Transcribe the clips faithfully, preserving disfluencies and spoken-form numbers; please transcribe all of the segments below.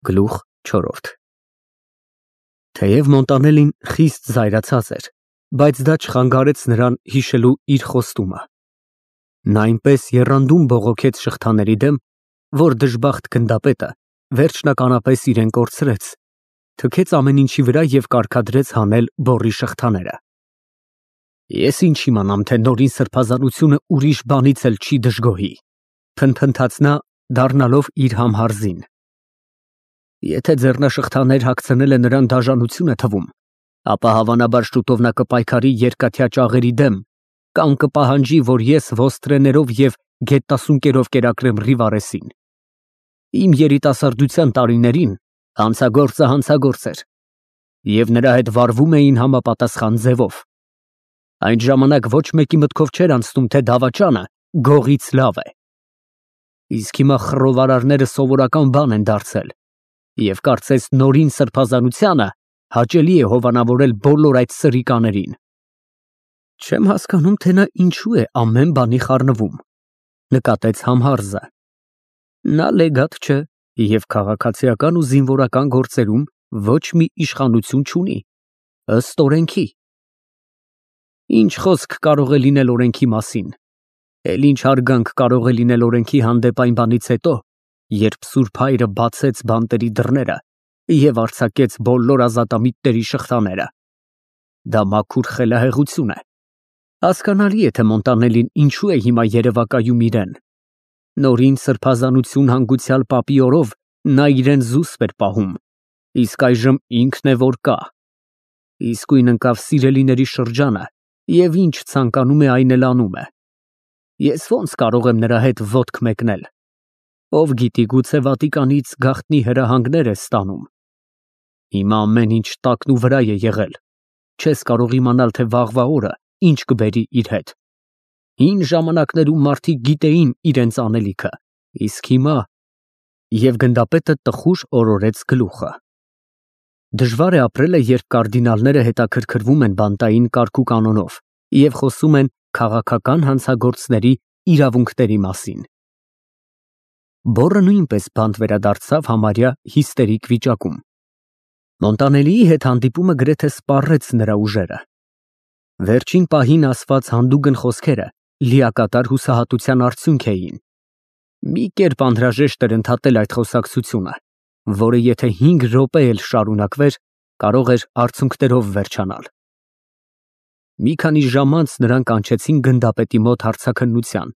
Գլուխ չորրորդ Թեև Մոնտանելին խիստ զայրացած էր, բայց դա չխանգարեց նրան հիշելու իր խոստումը։ Նա այնպես եռանդուն բողոքեց շղթաների դեմ, որ դժբախտ գնդապետը վերջնականապես իրեն կորցրեց, թքեց ամեն ինչի վրա և կարգադրեց հանել բոռի շղթաները։ Ես ինչ իմանամ, թե Նորին սրբազանությունը ուրիշ բանից էլ չի դժգոհի, փնթփնթաց նա, դառնալով իր համհարզին։ Եթե ձեռնաշղթաներ հագցնելը նրան դաժանություն է թվում, ապա հավանաբար շուտով նա կպայքարի երկաթյա ճաղերի դեմ, կամ կպահանջի, որ ես ոստրեներով և գետասունկերով կերակրեմ Ռիվարեսին։ Իմ երիտասարդության տարիներին հանցագործը հանցագործ էր, և նրա հետ վարվում էին համապատասխան ձևով։ Այն ժամանակ ոչ մեկի մտքով չէր անցնում, թե դավաճանը գողից լավ է։ Իսկ հիմա խռովարարները սովորական բան են դարձել, և կարծես Նորին սրբազանությանը հաճելի է հովանավորել բոլոր այդ սրիկաներին։ Չեմ հասկանում, թե նա ինչու է ամեն բանի խառնվում, նկատեց Համհարզը։ Նա լեգատ չէ և քաղաքացիական ու զինվորական գործերում ոչ մի իշխանություն չունի, ըստ օրենքի։ Ինչ խոսք կարող է լինել օրենքի մասին, էլ ինչ հարգանք կարող է լինել օրենքի հանդեպ այն բանից հետո, երբ Սուրբ Հայրը բացեց բանտերի դռները և արձակեց բոլոր ազատամիտների շղթաները։ Դա մաքուր խելահեղություն է։ Հասկանալի է, թե Մոնտանելին ինչու է հիմա երևակայում իրեն։ Նորին սրբազանություն հանգուցյալ պապի օրով նա իրեն զուսպ էր պահում, իսկ այժմ ինքն է որ կա։ Իսկույն ընկավ սիրելիների շրջանը, և ինչ ցանկանում է, այն էլ անում է։ Ես ո՞նց կարող եմ նրա հետ ոտք մեկնել։ Ով գիտի, գուցե Վատիկանից գաղտնի հրահանգներ է ստանում։ Հիմա ամեն ինչ տակնուվրա է եղել, չես կարող իմանալ, թե վաղվա օրը ինչ կբերի իր հետ։ Հին ժամանակներում մարդիկ գիտեին իրենց անելիքը, իսկ հիմա… Եվ գնդապետը տխուր օրորեց գլուխը։ Դժվար է ապրելը, երբ կարդինալները հետաքրքրվում են բանտային կարգուկանոնով և խոսում են քաղաքական հանցագործների իրավունքների մասին։ Բոռը նույնպես բանտ վերադարձավ համարյա հիստերիկ վիճակում։ Մոնտանելիի հետ հանդիպումը գրեթե սպառեց նրա ուժերը։ Վերջին պահին ասված հանդուգն խոսքերը լիակատար հուսահատության արդյունք էին։ Մի կերպ անհրաժեշտ էր ընդհատել այդ խոսակցությունը, որը եթե հինգ րոպե էլ շարունակվեր, կարող էր արցունքներով վերջանալ։ Մի քանի ժամ անց նրան կանչեցին գնդապետի մոտ հարցաքննության,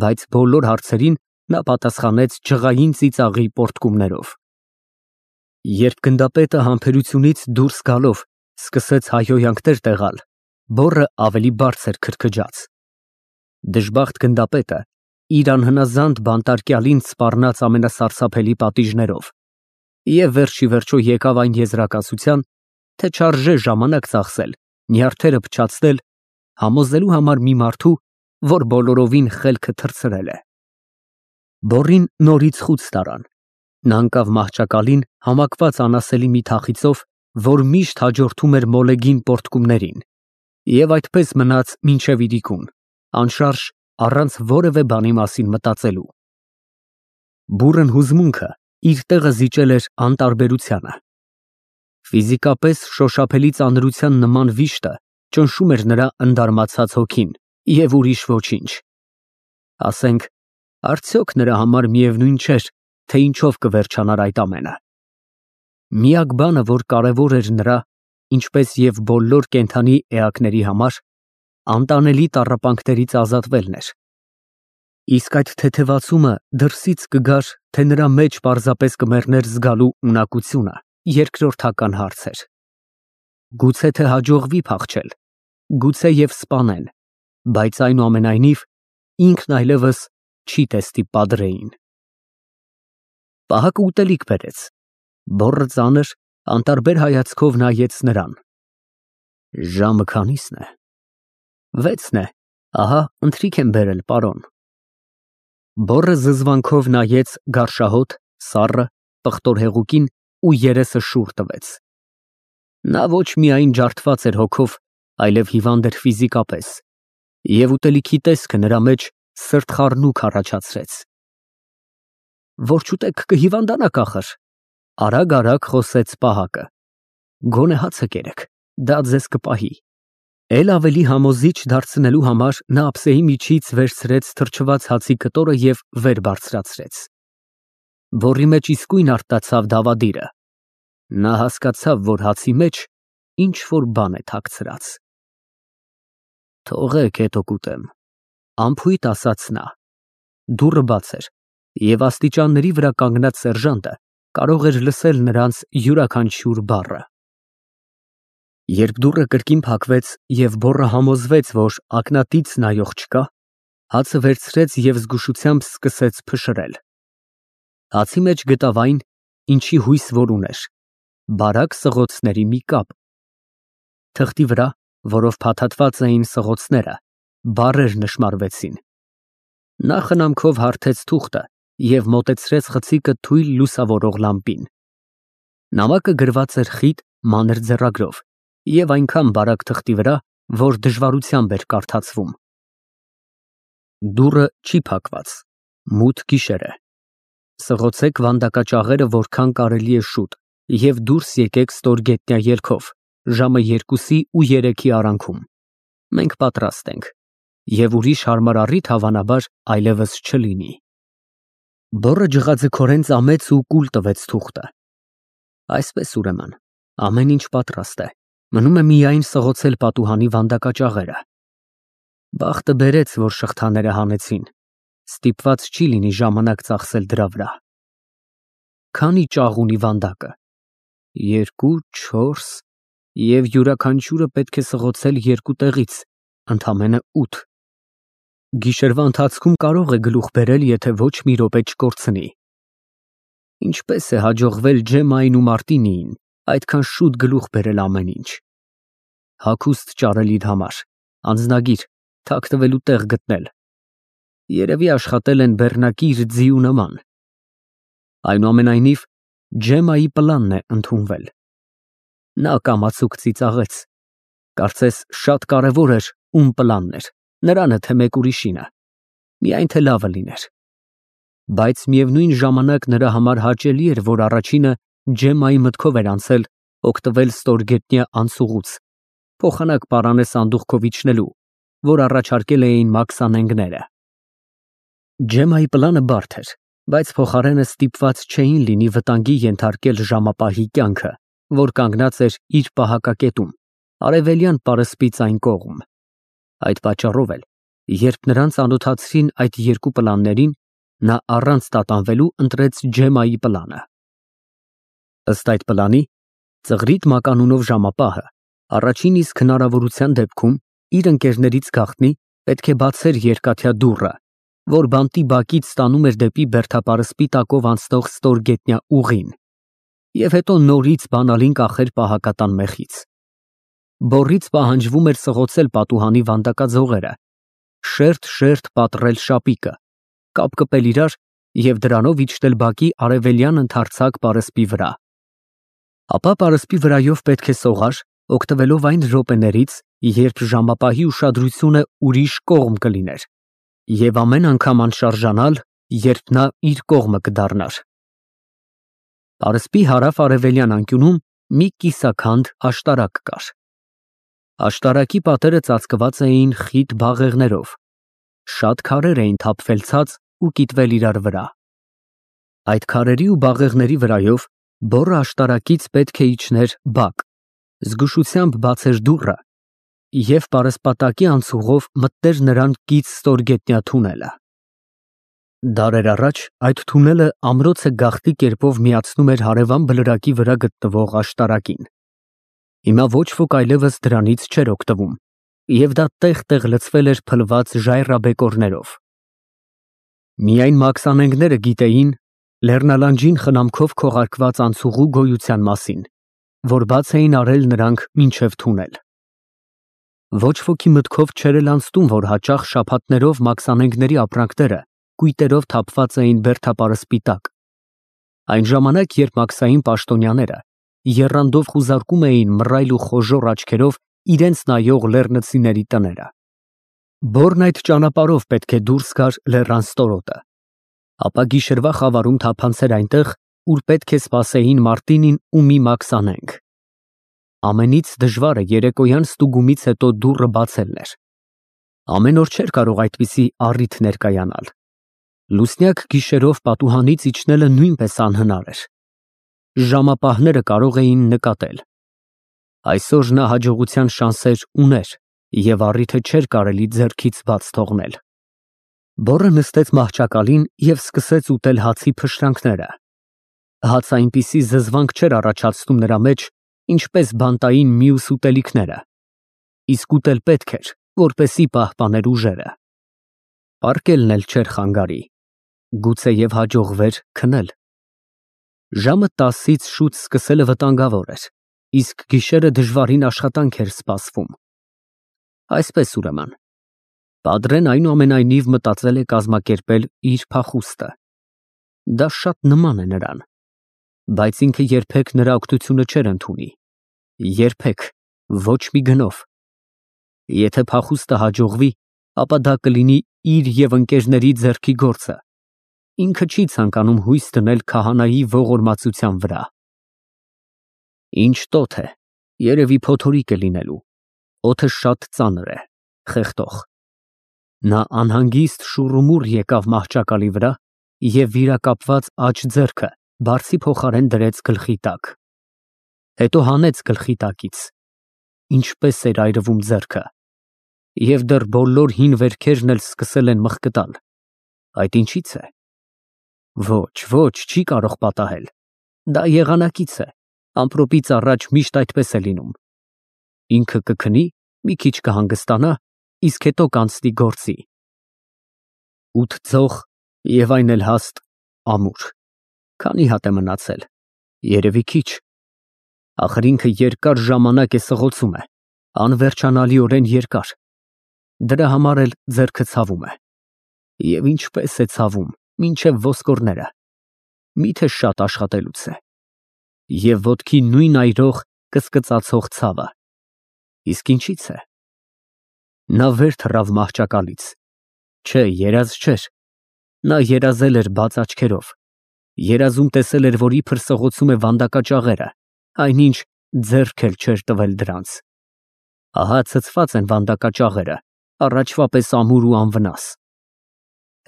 բայց բոլոր հարցերին նա պատասխանեց ջղային ծիծաղի պոռթկումներով։ Երբ գնդապետը համբերությունից դուրս գալով սկսեց հայհոյանքներ տեղալ, բոռը ավելի բարձր քրքջաց։ Դժբախտ գնդապետը իր անհնազանդ բանտարկյալին սպառնաց ամենասարսափելի պատիժներով և վերջ ի վերջո եկավ այն եզրակացության, թե չարժե ժամանակ ծախսել, նյարդերը փչացնել, համոզելու համար մի մարդու, որ բոլորովին խելքը թռցրել է։ Բոռին նորից խուց տարան։ Նա ընկավ մահճակալին համակված անասելի մի թախիծով, որ միշտ հաջորդում էր մոլեգին պոռթկումներին, և այդպես մնաց մինչև իրիկուն, անշարժ, առանց որևէ բանի մասին մտածելու։ Բուռն հուզմունքը իր տեղը զիջել էր անտարբերությանը։ Ֆիզիկապես շոշափելի ծանրության նման վիշտը ճնշում էր նրա ընդարմացած հոգին և ուրիշ ոչինչ։ Ասենք, արդյոք նրա համար միևնույն չէր, թե ինչով կվերջանար այդ ամենը։ Միակ բանը, որ կարևոր էր նրա, ինչպես և բոլոր կենդանի էակների համար, անտանելի տառապանքներից ազատվելն էր։ Իսկ այդ թեթևացումը դրսից կգար, թե նրա մեջ պարզապես կմեռներ զգալու ունակությունը, երկրորդական հարց էր։ Գուցե թե հաջողվի փախչել, գուցե և սպանեն, բայց այնուամենայնիվ ինքն այլևս չի տեսնի պատրեին։ Պահակը ուտելիք բերեց։ Բոռը ծանր, անտարբեր հայացքով նայեց նրան։ Ժամը քանի՞սն է։ Վեցն է, ահա ընթրիք եմ բերել, պարոն։ Բոռը զզվանքով նայեց գարշահոտ, սառը, պղտոր հեղուկին ու երեսը շուռ տվեց։ Նա ոչ միայն ջարդված էր հոգով, այլև հիվանդ էր ֆիզիկապես, և ուտելիքի տեսքը նրա մեջ սրտխառնուկ առաջացրեց։ Որ չուտեք կհիվանդանաք ախր, Արագ-արագ խոսեց պահակը։ Գոնե հացը կերեք, դա ձեզ կպահի։ Էլ ավելի համոզիչ դարձնելու համար նա ափսեի միջից վերցրեց թրջված հացի կտորը և վեր բարձրացրեց։ Բոռի մեջ իսկույն արտացավ դավադիրը։ Նա հասկացավ, որ հացի մեջ ինչ-որ բան է թաքցրած։ Թողեք, հետո կուտեմ, անփույթ ասաց նա։ Դուռը բաց էր, և աստիճանների վրա կանգնած սերժանտը կարող էր լսել նրանց յուրաքանչյուր բառը։ Երբ դուռը կրկին փակվեց և բոռը համոզվեց, որ ակնատից նայող չկա, հացը վերցրեց և զգուշությամբ սկսեց փշրել։ Հացի մեջ գտավ այն, ինչի հույս որ ուներ, բարակ սղոցների մի կապ։ Թղթի վրա, որով փաթաթված էին սղոցները, բառեր նշմարվեցին։ Նա խնամքով հարթեց թուղթը և մոտեցրեց խցիկը թույլ լուսավորող լամպին։ Նամակը գրված էր խիտ, մանր ձեռագրով և այնքան բարակ թղթի վրա, որ դժվարությամբ էր կարդացվում։ Դուռը չի փակված, մութ գիշեր է։ Սղոցեք վանդակաճաղերը որքան կարելի է շուտ և դուրս եկեք ստորգետնյա ելքով, ժամը երկուսի ու երեքի արանքում։ Մենք պատրաստ ենք, և ուրիշ հարմար առիթ հավանաբար այլևս չլինի։ Բոռը ջղաձգորեն ծամեց ու կուլ տվեց թուղթը։ Այսպես, ուրեմն, ամեն ինչ պատրաստ է, մնում է միայն սղոցել պատուհանի վանդակաճաղերը։ Բախտը բերեց, որ շղթաները հանեցին, ստիպված չի լինի ժամանակ ծախսել դրա վրա։ Քանի ճաղ ունի վանդակը։ Երկու, չորս, և յուրաքանչյուրը պետք է սղոցել երկու տեղից, ընդամենը ութ։ Գիշերվա ընթացքում կարող է գլուխ բերել, եթե ոչ մի րոպե չկորցնի։ Ինչպես է հաջողվել Ջեմմային ու Մարտինիին այդքան շուտ գլուխ բերել ամեն ինչ։ Հագուստ ճարելիդ համար, անձնագիր, թաքնվելու տեղ գտնել։ Երևի աշխատել են բեռնակիր ձիու նման։ Այնուամենայնիվ, Ջեմմայի պլանն է ընդունվել։ Նա կամացուկ ծիծաղեց։ Կարծես շատ կարևոր էր ում պլանն էր, նրանը թե մեկ ուրիշինը, միայն թե լավը լիներ։ Բայց միևնույն ժամանակ նրա համար հաճելի էր, որ առաջինը Ջեմմայի մտքով էր անցել օգտվել ստորգետնյա անցուղուց, փոխանակ պարանը սանդուղքով իջնելու, որ առաջարկել էին մաքսանենգները։ Ջեմմայի պլանը բարդ էր, բայց փոխարենը ստիպված չէին լինի վտանգի ենթարկել ժամապահի կյանքը, որ կանգնած էր իր պահակակետում, արևելյան պարսպից այն կողմ։ Այդ պատճառով էլ, երբ նրան ծանոթացրին այդ երկու պլաններին, նա առանց տատանվելու ընտրեց Ջեմմայի պլանը։ Ըստ այդ պլանի, ծղրիդ մականունով ժամապահը առաջին իսկ հնարավորության դեպքում իր ընկերներից գաղտնի պետք է բացեր երկաթյա դուռը, որ բանտի բակից տանում էր դեպի բերդապարսպի տակով անցնող ստորգետնյա ուղին, և հետո նորից բանալին կախեր պահակատան մեխից։ Բոռից պահանջվում էր սղոցել պատուհանի վանդակաձողերը, շերտ֊շերտ պատռել շապիկը, կապ կպել իրար և դրանով իջնել բակի արևելյան ընդարձակ պարսպի վրա։ Ապա պարսպի վրայով պետք է սողար, օգտվելով այն րոպեներից, երբ ժամապահի ուշադրությունը ուրիշ կողմ կլիներ, և ամեն անգամ անշարժանալ, երբ նա իր կողմը կդառնար։ Պարսպի հարավ֊արևելյան անկյունում մի կիսաքանդ աշտարակ կար։ Աշտարակի պատերը ծածկված էին խիտ բաղեղներով, շատ քարեր էին թափվել ցած ու կիտվել իրար վրա։ Այդ քարերի ու բաղեղների վրայով բոռը աշտարակից պետք է իջներ բակ, զգուշությամբ բացեր դուռը և պարսպատակի անցուղով մտներ նրան կից ստորգետնյա թունելը։ Դարեր առաջ այդ թունելը ամրոցը գաղտնի կերպով միացնում էր հարևան բլրակի վրա գտնվող աշտարակին։ Հիմա ոչ ոք այլևս դրանից չէր օգտվում, և դա տեղ֊տեղ լցվել էր փլված ժայռաբեկորներով։ Միայն մաքսանենգները գիտեին լեռնալանջին խնամքով քողարկված անցուղու գոյության մասին, որ բաց էին արել նրանք մինչև թունել։ Ոչ ոքի մտքով չէր էլ անցնում, որ հաճախ շաբաթներով մաքսանենգների ապրանքները կույտերով թափված էին բերդապարսպի տակ։ Այն ժամանակ, երբ մաքսային պաշտոնյաները եռանդով խուզարկում էին մռայլ ու խոժոռ աչքերով իրենց նայող լեռնցիների տները։ Բոռն այդ ճանապարհով պետք է դուրս գար լեռան ստորոտը, ապա գիշերվա խավարում թափանցեր այնտեղ ուր պետք է սպասեին Մարտինին ու մի մաքսանենգ։ Ամենից դժվարը երեկոյան ստուգումից հետո դուռը բացելն էր։ Ամեն օր չէր կարող այդպիսի առիթ ներկայանալ։ Լուսնյակ գիշերով պատուհանից իջնելը նույնպես անհնար էր։ Ժամապահները կարող էին նկատել։ Այսօր նա հաջողության շանսեր ուներ և առիթը չէր կարելի ձեռքից բաց թողնել։ Բոռը նստեց մահճակալին և սկսեց ուտել հացի փշրանքները։ Հացը այնպիսի զզվանք չէր առաջացնում նրա մեջ, ինչպես բանտային մյուս ուտելիքները, իսկ ուտել պետք էր, որպեսզի պահպաներ ուժերը։ Պառկելն էլ չէր խանգարի, գուցեև հաջողվեր քնել։ Ժամը տասից շուտ սկսելը վտանգավոր էր, իսկ գիշերը դժվարին աշխատանք էր սպասվում։ Այսպես ուրեմն, Պատրեն այնուամենայնիվ մտածել է կազմակերպել իր փախուստը։ Դա շատ նման է նրան, բայց ինքը երբեք նրա օգնությունը չէր ընդունի, երբեք, ոչ մի գնով։ Եթե փախուստը հաջողվի, ապա դա կլինի իր և ընկերների ձեռքի գործը։ Ինքը չի ցանկանում հույս դնել քահանայի ողորմածության վրա։ Ինչ տոթ է, երևի փոթորիկ է լինելու, օդը շատ ծանր է, խեղդող։ Նա անհանգիստ շուռումուռ եկավ մահճակալի վրա և վիրակապված աջ ձեռքը բարձի փոխարեն դրեց գլխի տակ։ Հետո հանեց գլխի տակից։ Ինչպես էր այրվում ձեռքը։ Եվ դեռ բոլոր հին վերքերն էլ սկսել են մխկտալ։ Այդ ինչի՞ց է։ Ոչ, ոչ, չի կարող պատահել։ Դա եղանակից է, ամպրոպից առաջ միշտ այդպես է լինում։ Ինքը կքնի, մի քիչ կհանգստանա, իսկ հետո կանցնի գործի։ Ութ ձող և այն էլ հաստ ամուր։ Քանի հատ է մնացել։ Երևի քիչ։ Ախր ինքը երկար ժամանակ է սղոցում է, անվերջանալիորեն երկար։ Դրա համար էլ ձեռքը ցավում է։ Եվ ինչպես է ցավում, մինչև ոսկորները։ Միթե շատ աշխատելուց է։ Եվ ոտքի նույն այրող, կծկծացող ցավը։ Իսկ ինչի՞ց է։ Նա վեր թռավ մահճակալից։ Չէ, երազ չէր։ Նա երազել էր բաց աչքերով։ Երազում տեսել էր, որ իբր սղոցում է վանդակաճաղերը, այնինչ ձեռք էլ չէր տվել դրանց։ Ահա ցցված են վանդակաճաղերը, առաջվա պես ամուր ու անվնաս։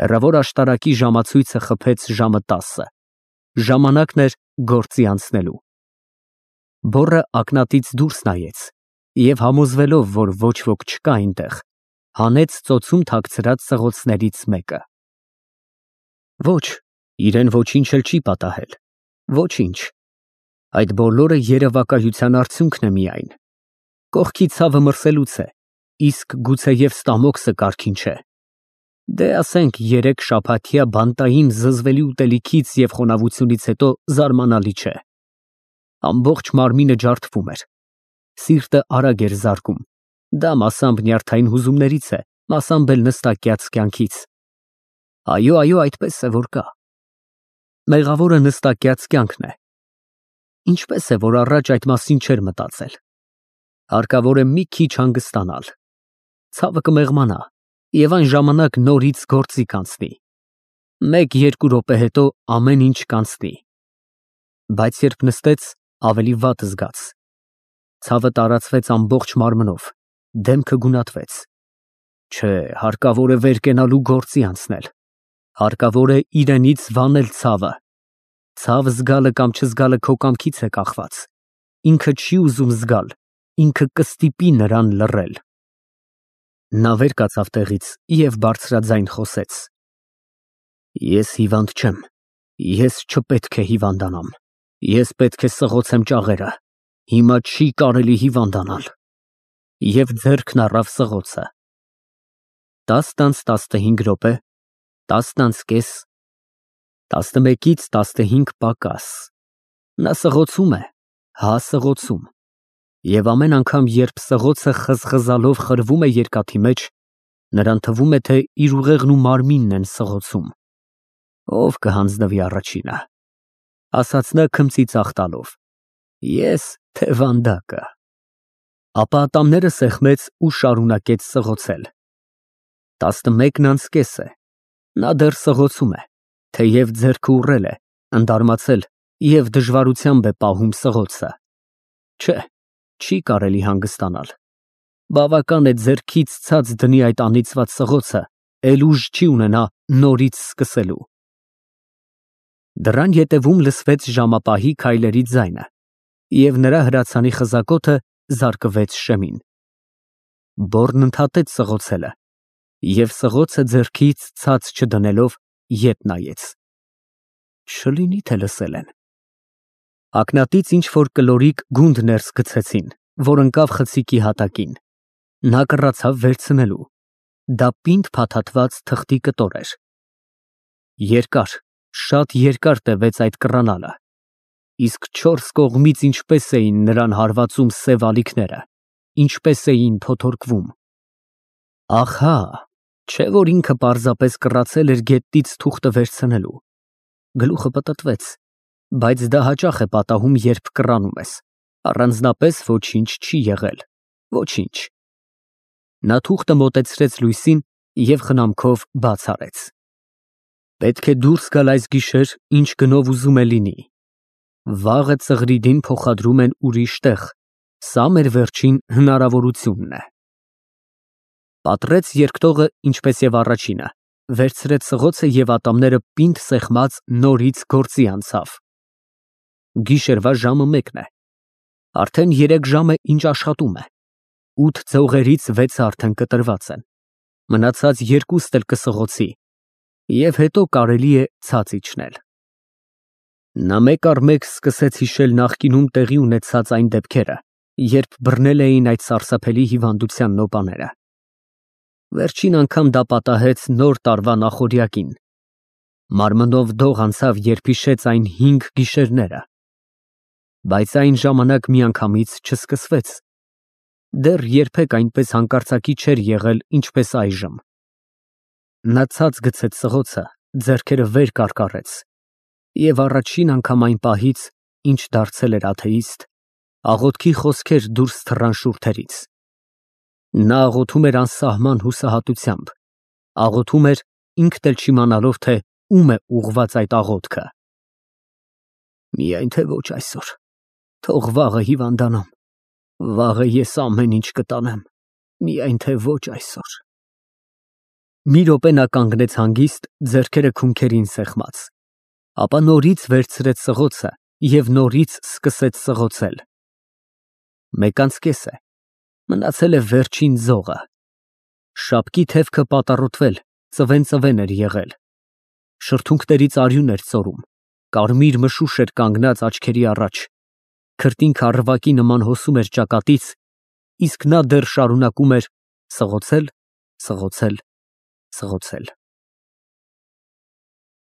Հեռավոր աշտարակի ժամացույցը խփեց ժամը տասը։ Ժամանակն էր գործի անցնելու։ Բոռը ակնատից դուրս նայեց և համոզվելով, որ ոչ ոք չկա այնտեղ, հանեց ծոցում թաքցրած սղոցներից մեկը։ Ոչ, իրեն ոչինչ էլ չի պատահել։ Ոչինչ։ Այդ բոլորը երևակայության արդյունքն է միայն։ Կողքի ցավը մրսելուց է, իսկ գուցեև ստամոքսը կարգին չէ։ Դե ասենք երեք շաբաթյա բանտային զզվելի ուտելիքից և խոնավությունից հետո զարմանալի չէ։ Ամբողջ մարմինը ջարդվում էր։ Սիրտը արագ էր զարկում։ Դա մասամբ նյարդային հուզումներից է, մասամբ էլ նստակյաց կյանքից։ Այո, այո, այդպես է, որ կա։ Մեղավորը նստակյաց կյանքն է։ Ինչպես է, որ առաջ այդ մասին չէր մտածել։ Հարկավոր է մի քիչ հանգստանալ։ Ցավը կմեղմանա, և այն ժամանակ նորից գործի կանցնի։ Մեկ֊երկու րոպե հետո ամեն ինչ կանցնի։ Բայց երբ նստեց, ավելի վատ զգաց։ Ցավը տարածվեց ամբողջ մարմնով, դեմքը գունատվեց։ Չէ, հարկավոր է վեր կենալու գործի անցնել։ Հարկավոր է իրենից վանել ցավը։ Ցավ զգալը կամ չզգալը քո կամքից է կախված։ Ինքը չի ուզում զգալ, ինքը կստիպի նրան լռել։ Նա վեր կացավ տեղից և բարձրաձայն խոսեց. Ես հիվանդ չեմ, ես չպետք է հիվանդանամ, ես պետք է սղոցեմ ճաղերը, հիմա չի կարելի հիվանդանալ։ Եվ ձեռքն առավ սղոցը։ Տասն անց տասնհինգ րոպե, տասն անց կես, տասնմեկից տասնհինգ պակաս։ Նա սղոցում է, հա սղոցում։ Եվ ամեն անգամ, երբ սղոցը խզխզալով խրվում է երկաթի մեջ, նրան թվում է, թե իր ուղեղն ու մարմինն են սղոցում։ Ով կհանձնվի առաջինը, ասաց նա քմծի ծաղ տալով, ես, թե վանդակը։ Ապա ատամները սեղմեց ու շարունակեց սղոցել։ Տասնմեկն անց կես է։ Նա դեռ սղոցում է, թեև ձեռքը ուռել է, ընդարմացել և դժվարությամբ է պահում սղոցը։ Չէ, չի կարելի հանգստանալ։ Բավական է ձեռքից ցած դնի այդ անիծված սղոցը, էլ ուժ չի ունենա նորից սկսելու։ Դռան ետևում լսվեց ժամապահի քայլերի ձայնը, և նրա հրացանի խզակոթը զարկվեց շեմին։ Բոռն ընդհատեց սղոցելը և սղոցը ձեռքից ցած չդնելով ետ նայեց։ Չլինի թե լսել են։ Ակնատից ինչ-որ կլորիկ գունդ ներս գցեցին, որ ընկավ խցիկի հատակին։ Նա կռացավ վերցնելու։ Դա պինդ փաթաթված թղթի կտոր էր։ Երկար, շատ երկար տևեց այդ կռանալը, իսկ չորս կողմից ինչպես էին նրան հարվածում սև ալիքները, ինչպես էին փոթորկվում։ Ահա, չէ որ ինքը պարզապես կռացել էր գետնից թուղթը վերցնելու։ Գլուխը պտտվեց, բայց դա հաճախ է պատահում, երբ կռանում ես, առանձնապես ոչինչ չի եղել, ոչինչ։ Նա թուղթը մոտեցրեց լույսին և խնամքով բաց արեց։ Պետք է դուրս գալ այս գիշեր, ինչ գնով ուզում է լինի։ Վաղը Ծղրիդին փոխադրում են ուրիշ տեղ, սա մեր վերջին հնարավորությունն է։ Պատռեց երկտողը, ինչպես և առաջինը, վերցրեց սղոցը և ատամները պինդ սեղմած նորից գործի անցավ։ Գիշերվա ժամը մեկն է։ Արդեն երեք ժամ է, ինչ աշխատում է։ Ութ ձողերից վեցը արդեն կտրված են։ Մնացած երկուստ էլ կսղոցի, և հետո կարելի է ցած իջնել։ Նա մեկ առ մեկ սկսեց հիշել նախկինում տեղի ունեցած այն դեպքերը, երբ բռնել էին այդ սարսափելի հիվանդության նոպաները։ Վերջին անգամ դա պատահեց Նոր տարվա նախօրյակին։ Մարմնով դող անցավ, երբ հիշեց այն հինգ գիշերները։ Բայց այն ժամանակ միանգամից չսկսվեց։ Դեռ երբեք այնպես հանկարծակի չէր եղել, ինչպես այժմ։ Նա ցած գցեց սղոցը, ձեռքերը վեր կարկառեց և առաջին անգամ այն պահից, ինչ դարձել էր աթեիստ, աղոթքի խոսքեր դուրս թռան շուրթերից։ Նա աղոթում էր անսահման հուսահատությամբ, աղոթում էր ինքն էլ չիմանալով, թե ում է ուղղված այդ աղոթքը։ Միայն թե ոչ այսօր, թող վաղը հիվանդանամ, վաղը ես ամեն ինչ կտանեմ, միայն թե ոչ այսօր։ Մի րոպե նա կանգնեց հանգիստ, ձեռքերը քունքերին սեղմած, ապա նորից վերցրեց սղոցը և նորից սկսեց սղոցել։ Մեկ անց կես է, մնացել է վերջին ձողը։ Շապկի թևքը պատառոտվել, ծվեն֊ծվեն էր եղել։ Շրթունքներից արյուն էր ծորում, կարմիր մշուշ էր կանգնած աչքերի առաջ, քրտինքը առվակի նման հոսում էր ճակատից, իսկ նա դեռ շարունակում էր սղոցել, սղոցել, սղոցել։